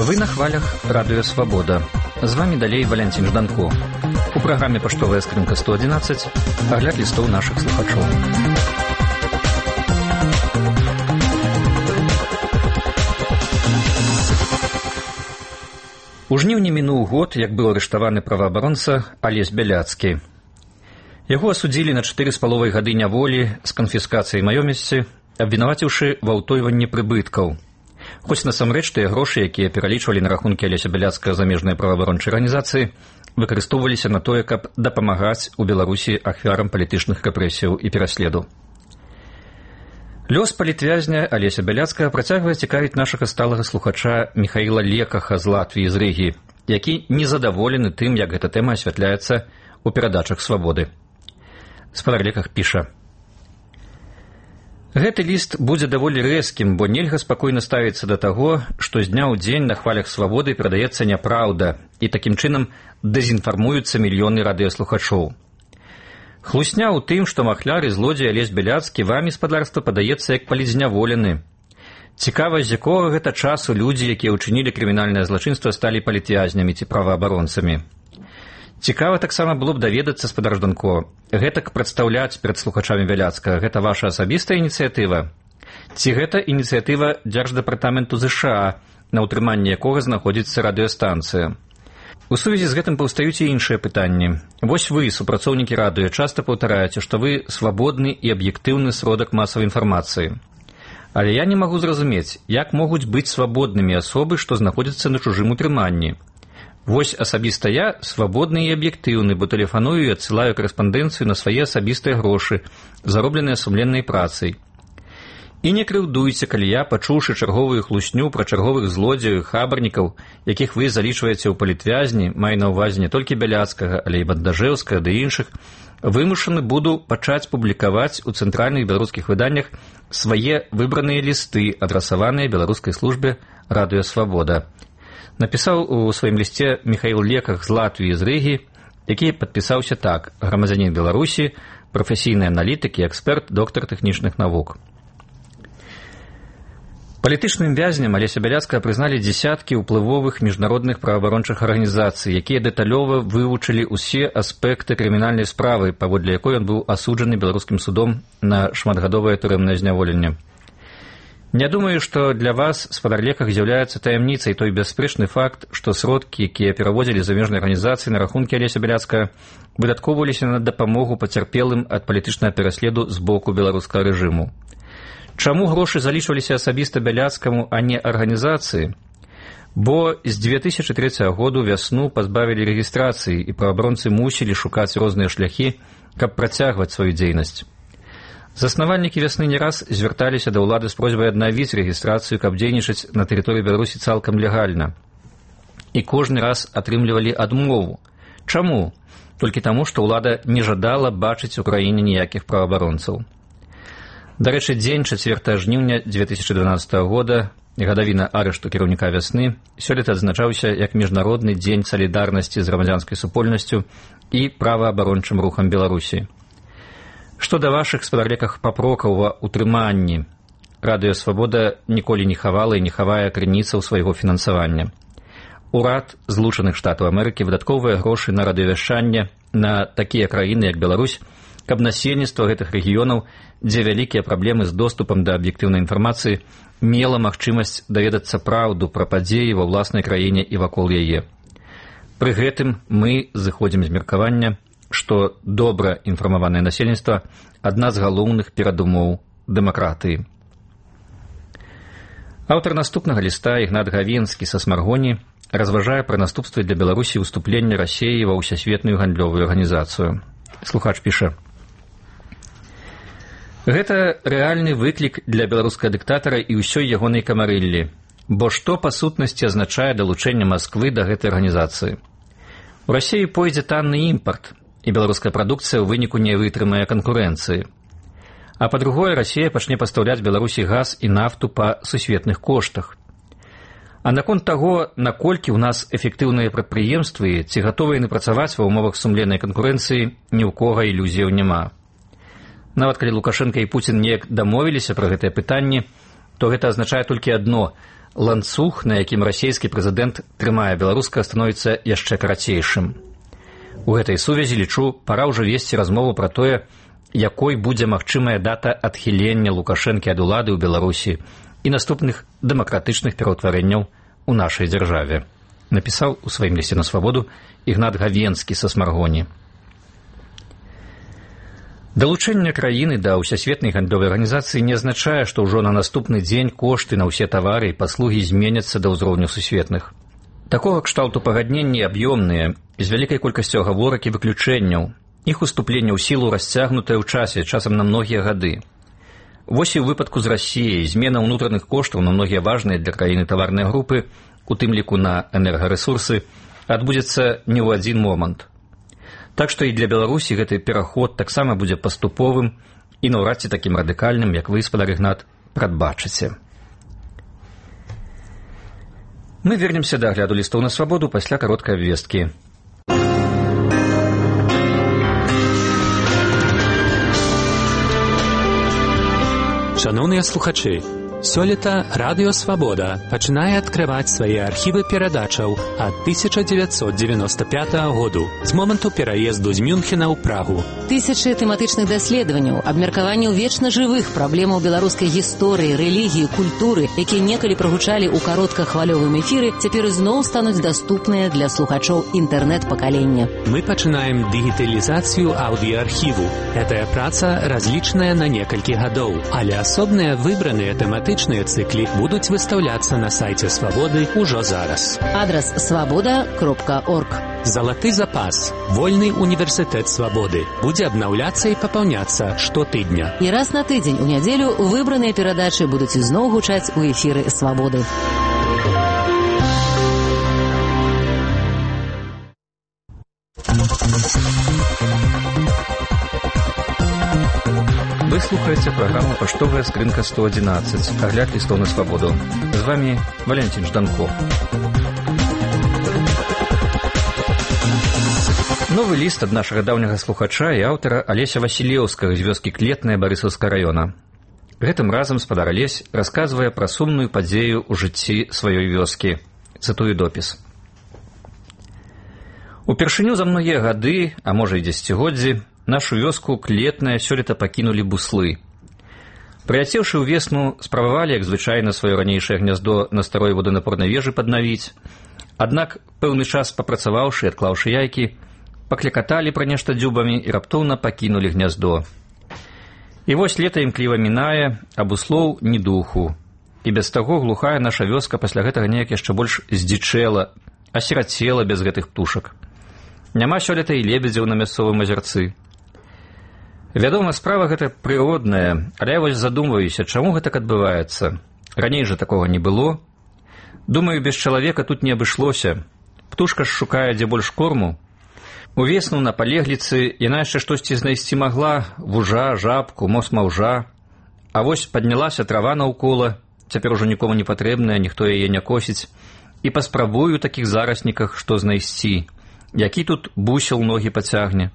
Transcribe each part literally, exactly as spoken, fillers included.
Вы на хвалях радыё «Свабода». З вами далей Валянцін Жданко. У праграме «Паштовая скрынка сто адзінаццаць» агляд лістоў нашых слухачоў. У жніўні мінуў год, як быў арыштаваны праваабаронца Алесь Бяляцкі. Яго асудзілі на чатыры з паловай гады няволі з канфіскацыяй маёмасці, абвінаваціўшы ва ўтойванні прыбыткаў. Хоць насамрэч тыя грошы, якія пералічвалі на рахункі Алеся Бяляцкага замежныя праваабарончыя арганізацыі, выкарыстоўваліся на тое, каб дапамагаць у Беларусі ахвярам палітычных рэпрэсіяў і пераследу. Лёс палітвязня Алеся Бяляцкага працягвае цікавіць нашага сталага слухача Міхаіла Лекаха з Латвіі, з Рыгі, які незадаволены тым, як гэта тэма асвятляецца ў перадачах «Свабоды». Спадар Леках піша: «Гэты ліст будзе даволі рэзкім, бо нельга спакойна ставіцца да таго, што з дня ў дзень на хвалях «Свабоды» перадаецца няпраўда, і такім чынам дэзінфармуюцца мільёны радыёслухачоў. Хлусня ў тым, што махляр і злодзей Алесь Бяляцкі вамі, спадарства, падаецца як палізняволены. Цікава, з якога гэта часу людзі, якія ўчынілі крымінальнае злачынства, сталі палітвязнямі ці праваабаронцамі. Цікава таксама было б даведацца, спадар Жданко, гэтак прадстаўляць перад слухачамі Бяляцкага, гэта ваша асабістая ініцыятыва? Ці гэта ініцыятыва Дзярждэпартаменту ЗША, на ўтрыманні якога знаходзіцца радыёстанцыя? У сувязі з гэтым паўстаюць і іншыя пытанні. Вось вы, супрацоўнікі радыё, часта паўтараеце, што вы свабодны і аб'ектыўны сродак масавай інфармацыі. Але я не магу зразумець, як могуць быць свабоднымі асобы, што знаходзяцца на чужым утрыманні. Вось асабіста я свабодны і аб'ектыўны, бо тэлефаную і адсылаю карэспандэнцыю на свае асабістыя грошы, заробленыя сумленнай працай. І не крыўдуйце, калі я, пачуўшы чарговую хлусню пра чарговых злодзеяў і хабарнікаў, якіх вы залічваеце ў палітвязні, маю на ўвазе не толькі Бяляцкага, але і Бандажэўскага ды іншых, вымушаны буду пачаць публікаваць у цэнтральных беларускіх выданнях свае выбраныя лісты, адрасаваныя беларускай службе радыё «Свабода». Напісаў у сваім лісце Міхаіл Леках з Латвіі, з Рыгі, які падпісаўся так: грамадзянін Беларусі, прафесійны аналітык і эксперт, доктар тэхнічных навук. Палітычным вязням Алеся Бяляцкага прызналі дзесяткі ўплывовых міжнародных праваабарончых арганізацый, якія дэталёва вывучылі ўсе аспекты крымінальнай справы, паводле якой ён быў асуджаны беларускім судом на шматгадовае турэмнае зняволенне. Не думаю, што для вас, спадар Леках, з'яўляецца таямніцай той бясспрэчны факт, што сродкі, якія пераводзілі замежныя арганізацыі на рахункі Алеся Бяляцкага, выдаткоўваліся на дапамогу пацярпелым ад палітычнага пераследу з боку беларускага рэжыму. Чаму грошы залічваліся асабіста Бяляцкаму, а не арганізацыі? Бо з дзве тысячы трэцяга году вясну пазбавілі рэгістрацыі, і праваабаронцы мусілі шукаць розныя шляхі, каб працягваць сваю дзейнасць. Заснавальнікі вясны не раз звярталіся да ўлады з просьбай аднавіць рэгістрацыю, каб дзейнічаць на тэрыторыі Беларусі цалкам легальна. І кожны раз атрымлівалі адмову. Чаму? Толькі таму, што ўлада не жадала бачыць у краіне ніякіх праваабаронцаў. Дарэчы, дзень чацвёртага жніўня дзве тысячы дванаццатага года, гадавіна арышту кіраўніка вясны, сёлета адзначаўся як міжнародны дзень салідарнасці з грамадзянскай супольнасцю і праваабарончым рухам Беларусі. Што да вашых, спадар Леках, папрокаў ва ўтрыманні, радыё «Свабода» ніколі не хавала і не хавае крыніцаў свайго фінансавання. Урад Злучаных Штатаў Амерыкі выдаткоўвае грошы на радыёвяшчанне на такія краіны, як Беларусь, каб насельніцтва гэтых рэгіёнаў, дзе вялікія праблемы з доступам да аб'ектыўнай інфармацыі, мела магчымасць даведацца праўду пра падзеі ва ўласнай краіне і вакол яе. Пры гэтым мы зыходзім з меркавання, што добра інфармаванае насельніцтва – адна з галоўных перадумоў дэмакратыі. Аўтар наступнага ліста, Ігнат Гавенскі са Смаргоні, разважае пра наступствы для Беларусі ўступлення Расіі ва ўсесветную гандлёвую арганізацыю. Слухач піша: «Гэта рэальны выклік для беларускага дыктатара і ўсёй ягонай камарыллі, бо што па сутнасці азначае далучэнне Масквы да гэтай арганізацыі? У Расіі пойдзе танны імпарт, і беларуская прадукцыя ў выніку не вытрымае канкурэнцыі. А па-другое, Расія пачне пастаўляць Беларусі газ і нафту па сусветных коштах. А наконт таго, наколькі ў нас эфектыўныя прадпрыемствы, ці гатовыя яны працаваць ва ўмовах сумленнай канкурэнцыі, ні ў кога ілюзіяў няма. Нават калі Лукашенко і Пуцін неяк дамовіліся пра гэтыя пытанні, то гэта азначае толькі адно – ланцуг, на якім расійскі прэзідэнт трымае беларускага, становіцца яшчэ карацейшым. У гэтай сувязі, лічу, пара ўжо весці размову пра тое, якой будзе магчымая дата адхілення Лукашэнкі ад улады ў Беларусі і наступных дэмакратычных пераўтварэнняў у нашай дзяржаве, напісаў у сваім лісце на свабоду Ігнат Гавенскі са Смаргоні. Далучэнне краіны да ўсясветнай гандлёвай арганізацыі не азначае, што ўжо на наступны дзень кошты на ўсе тавары і паслугі зменяцца да ўзроўню сусветных. Такога кшталту пагадненні аб'ёмныя, з вялікай колькасцю агаворак і выключэнняў, іх уступленне ў сілу расцягнутае ў часе, часам на многія гады. Вось і ў выпадку з Расіяй змена ўнутраных коштаў на многія важныя для краіны таварныя групы, у тым ліку на энергарэсурсы, адбудзецца не ў адзін момант. Так што і для Беларусі гэты пераход таксама будзе паступовым і наўрад ці такім радыкальным, як вы, спадар Ігнат, прадбачыце. Мы вернемся да агляду лістоў на свабоду пасля кароткай абвесткі. Шановныя слухачы, сёлета Радыё Свабода пачынае адкрываць свае архівы перадачаў ад тысяча дзевяцьсот дзевяноста пятага году, з моманту пераезду з Мюнхена ў Прагу. Тысячы тэматычных даследаванняў, абмеркаванняў вечна жывых праблемаў беларускай гісторыі, рэлігіі, культуры, якія некалі прагучалі ў кароткахвалёвым эфіры, цяпер ізноў стануць даступныя для слухачоў інтэрнэт-пакалення. Мы пачынаем дыгіталізацыю аўдыаархіву. Гэтая праца разлічаная на некалькі гадоў, але асобныя выбраныя тэматычныя цыклі будуць выстаўляцца на сайце Свабоды ўжо зараз. Адрас свабода кропка орг. Залаты запас. Вольны універсітэт Свабоды будзе абнаўляцца і папаўняцца штотыдня. І раз на тыдзень у нядзелю выбраныя перадачы будуць ізноў гучаць у эфіры Свабоды. Вы слухаеце праграму «Паштовая скрынка сто адзінаццаць», агляд лістоў на свабоду. З вами Валентин Жданко. Новы ліст ад нашага даўняга слухача і аўтара Алеся Васілеўскага з вёскі Клетная Барысаўскага раёна. Гэтым разам спадар Алесь расказвае пра сумную падзею ў жыцці сваёй вёскі. Цытую допіс. Упершыню за многія гады, а можа і дзесяцігоддзі, нашу вёску Клетная сёлета пакінулі буслы. Прыляцеўшы ў весну, спрабавалі, як звычайна, сваё ранейшае гняздо на старой воданапорнай вежы паднавіць. Аднак, пэўны час папрацаваўшы і адклаўшы яйкі, паклякаталі пра нешта дзюбамі і раптоўна пакінулі гняздо. І вось лета імкліва мінае, а буслоў ні духу. І без таго глухая наша вёска пасля гэтага неяк яшчэ больш здзічэла, асірацела без гэтых птушак. Няма сёлета і лебедзяў на мясцовым азярцы. Вядома, справа гэта прыродная, але я вось задумваюся, чаму гэтак адбываецца. Раней жа такога не было. Думаю, без чалавека тут не абышлося. Птушка ж шукае дзе больш корму. Увесну на палегліцы яна яшчэ штосьці знайсці магла, вужа, жабку, мос маўжа. А вось паднялася трава наўкола, цяпер ужо нікому не патрэбная, ніхто яе не косіць. І паспрабую у такіх зарасніках што знайсці. Які тут бусел ногі пацягне.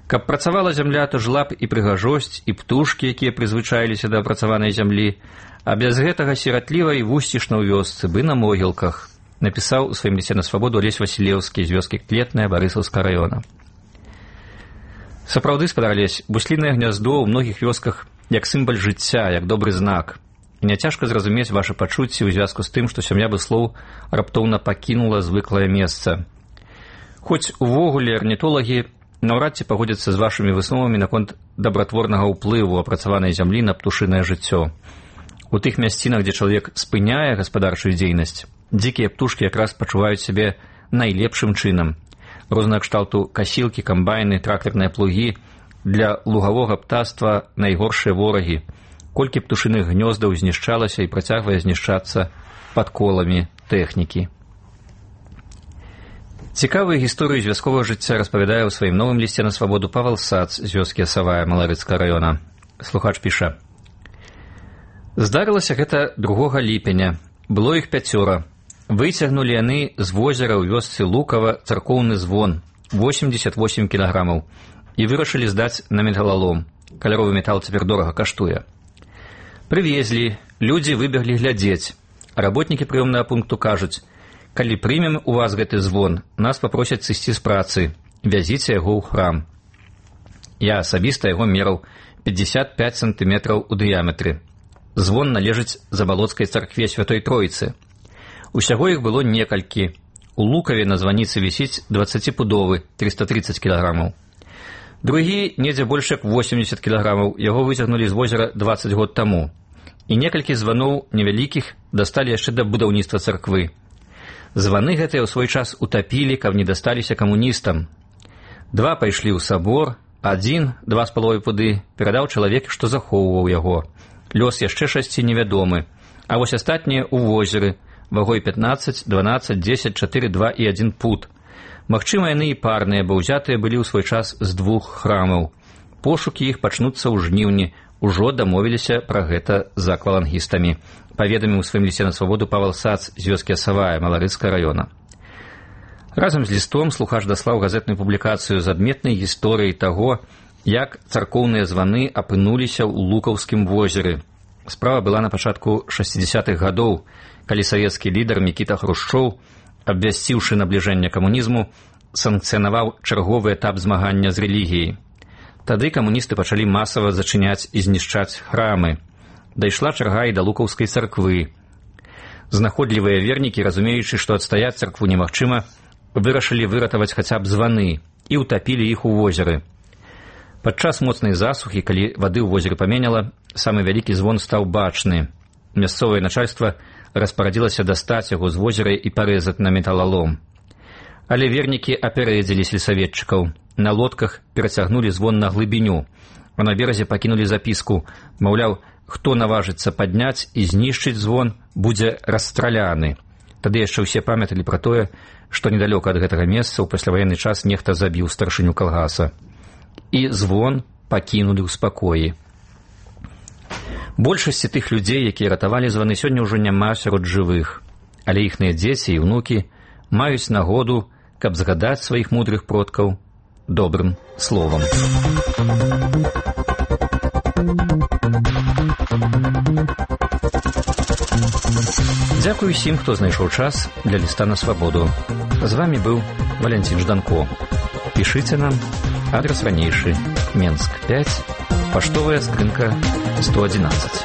Каб працавала зямля, то жла б і прыгажосць, і птушкі, якія прызвычаіліся да апрацаванай зямлі, а без гэтага сіратліва і вусцішна ў вёсцы, бы на могілках, напісаў у сваім лісце на свабоду Алесь Васілеўскі з вёскі Клетная Барысаўскага раёна. Сапраўды, спадар Алесь, буслінае гняздо ў многіх вёсках як сімвал жыцця, як добры знак. І няцяжка зразумець вашы пачуцці ў звязку з тым, што сям'я буслоў раптоўна пакінула звыклае месца. Хоць увогуле арнітолагі наўрад ці пагодзяцца з вашымі высновамі наконт дабратворнага ўплыву апрацаванай зямлі на птушынае жыццё. У тых мясцінах, дзе чалавек спыняе гаспадарчую дзейнасць, дзікія птушкі якраз пачуваюць сябе найлепшым чынам. Рознага кшталту касілкі, камбайны, трактарныя плугі для лугавога птаства найгоршыя ворагі. Колькі птушыных гнёздаў знішчалася і працягвае знішчацца пад коламі тэхнікі. Цікавую гісторыю з вясковага жыцця распавядае ў сваім новым лісце на свабоду Павал Сац з вёскі Асавая Маларыцкага раёна. Слухач піша. Здарылася гэта другога ліпеня. Было іх пяцёра. Выцягнулі яны з возера ў вёсцы Лукава царкоўны звон восемьдесят восемь кілаграмаў і вырашылі здаць на металалом. Каляровы метал цяпер дорага каштуе. Прывезлі, людзі выбеглі глядзець. Работнікі прыёмнага пункту кажуць: калі прымем у вас гэты звон, нас папросяць сысці з працы, вязіце яго ў храм. Я асабіста яго мераў пятьдесят пять сантиметраў у дыяметры. Звон належыць Забалоцкай царкве Святой Троіцы. Усяго іх было некалькі. У Лукаве на званіцы вісіць дваццаціпудовы, триста тридцать кілаграмаў. Другі недзе больш як восемьдесят кілаграмаў, яго выцягнулі з возера двадцать год таму. І некалькі званоў невялікіх дасталі яшчэ да будаўніцтва царквы. Званы гэтыя ў свой час утапілі, каб не дасталіся камуністам. Два пайшлі ў сабор, адзін, два з паловай пуды, перадаў чалавек, што захоўваў яго. Лёс яшчэ шасці невядомы, а вось астатнія ў возеры, вагой пятнадцать, дванадцать, десять, четыре, два і адзін пуд. Магчыма, яны і парныя, бо ўзятыя былі ў свой час з двух храмаў. Пошукі іх пачнуцца ў жніўні, ужо дамовіліся пра гэта з аквалангістамі, паведаміў у сваім лісце на свабоду Павел Сац з вёскі Асавая Маларыцкага раёна. Разам з лістом слухач даслаў газетную публікацыю з адметнай гісторыяй таго, як царкоўныя званы апынуліся ў Лукаўскім возеры. Справа была на пачатку шэсцідзясятых гадоў, калі савецкі лідар Мікіта Хрушчоў, абвясціўшы набліжэнне камунізму, санкцыянаваў чарговы этап змагання з рэлігіяй. Тады камуністы пачалі масава зачыняць і знішчаць храмы. Дайшла чарга і да Лукаўскай царквы. Знаходлівыя вернікі, разумеючы, што адстаяць царкву немагчыма, вырашылі выратаваць хаця б званы і ўтапілі іх у возеры. Падчас моцнай засухі, калі вады ў возеры паменяла, самы вялікі звон стаў бачны. Мясцовае начальства распарадзілася дастаць яго з возера і парэзаць на металалом. Але вернікі апярэдзілі сельсаветчыкаў. На лодках перацягнулі звон на глыбіню, а на беразе пакінулі запіску, маўляў, хто наважыцца падняць і знішчыць звон, будзе расстраляны. Тады яшчэ ўсе памяталі пра тое, што недалёка ад гэтага месца ў пасляваенны час нехта забіў старшыню калгаса. І звон пакінулі ў спакоі. Большасці тых людзей, якія ратавалі званы, сёння ўжо няма сярод жывых, але іхныя дзеці і ўнукі маюць нагоду, каб згадаць сваіх мудрых продкаў добрым словам. Дзякуй усім, хто знайшоў час для ліста на свабоду. З вамі быў Валянцін Жданко. Пішыце нам, адрес ранейшы, Менск пять, паштовая скрынка сто одиннадцать.